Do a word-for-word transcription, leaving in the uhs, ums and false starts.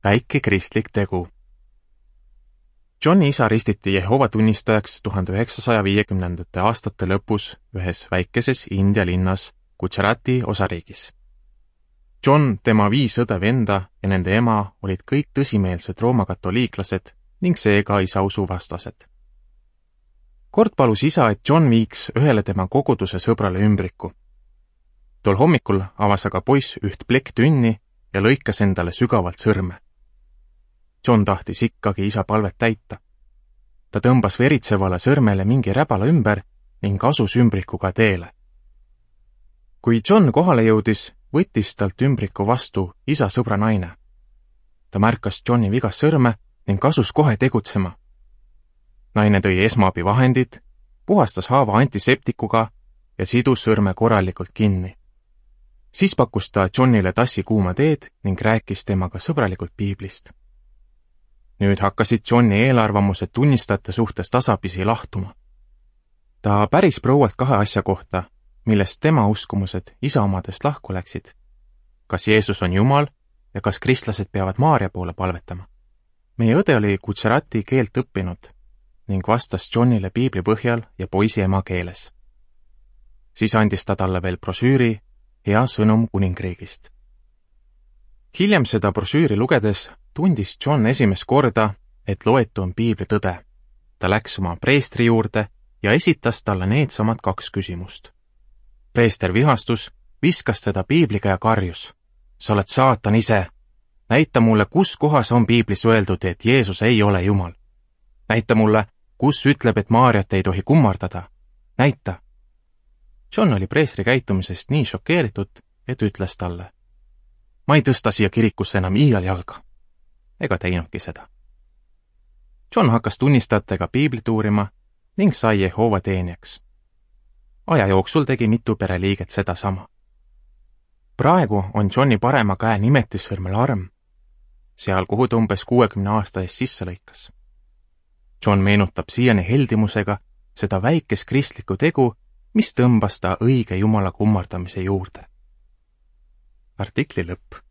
väike kristlik tegu. Johni isa ristiti Jehova tunnistajaks tuhande üheksasaja viiekümnendate aastate lõpus ühes väikeses India linnas Gujarati osariigis. John, tema viis õde venda ja nende ema olid kõik tõsimeelsed roomakatoliiklased ning seega isa usuvastased. Kord palus isa, et John viiks ühele tema koguduse sõbrale ümbriku. Tol hommikul avas aga poiss üht plekktünni ja lõikas endale sügavalt sõrme. John tahtis ikkagi isa palvet täita. Ta tõmbas veritsevale sõrmele mingi räbala ümber ning asus ümbrikuga teele. Kui John kohale jõudis, võttis talt ümbriku vastu isa sõbra naine. Ta märkas Johni vigast sõrme ning asus kohe tegutsema. Naine tõi esmaabivahendid, puhastas haava antiseptikuga ja sidus sõrme korralikult kinni. Siis pakkus ta Johnile tassi kuuma teed ning rääkis temaga sõbralikult piiblist. Nüüd hakkasid Johni eelarvamused tunnistajate suhtes tasapisi lahtuma. Ta päris proualt kahe asja kohta, millest tema uskumused isa omadest lahku läksid. Kas Jeesus on Jumal ja kas kristlased peavad Maaria poole palvetama? Meie õde oli Gujarati keelt õppinud ning vastas Johnile piibli põhjal ja poisi ema keeles. Siis andis ta talle veel brošüüri Hea sõnum kuningriigist. Hiljem seda brošüüri lugedes tundis John esimest korda, et loetu on piibli tõde. Ta läks oma preestri juurde ja esitas talle needsamad kaks küsimust. Preester vihastus, viskas teda piibliga ja karjus. Sa oled saatan ise. Näita mulle, kus kohas on piiblis öeldud, et Jeesus ei ole Jumal. Näita mulle, kus ütleb, et Maariat ei tohi kummardada. Näita. John oli preestri käitumisest nii šokeeritud, et ütles talle. Ma ei tõsta siia kirikusse enam iial jalga. Ega teinudki seda. John hakkas tunnistajatega piiblit uurima ning sai Jehova teenijaks. Aja jooksul tegi mitu pereliiget seda sama. Praegu on Johni parema käe nimetissõrmel arm, seal kuhu ta umbes kuuekümne aasta eest sisse lõikas. John meenutab siiani heldimusega seda väikest kristlikku tegu, mis tõmbas ta õige Jumala kummardamise juurde. Artikli lõpp.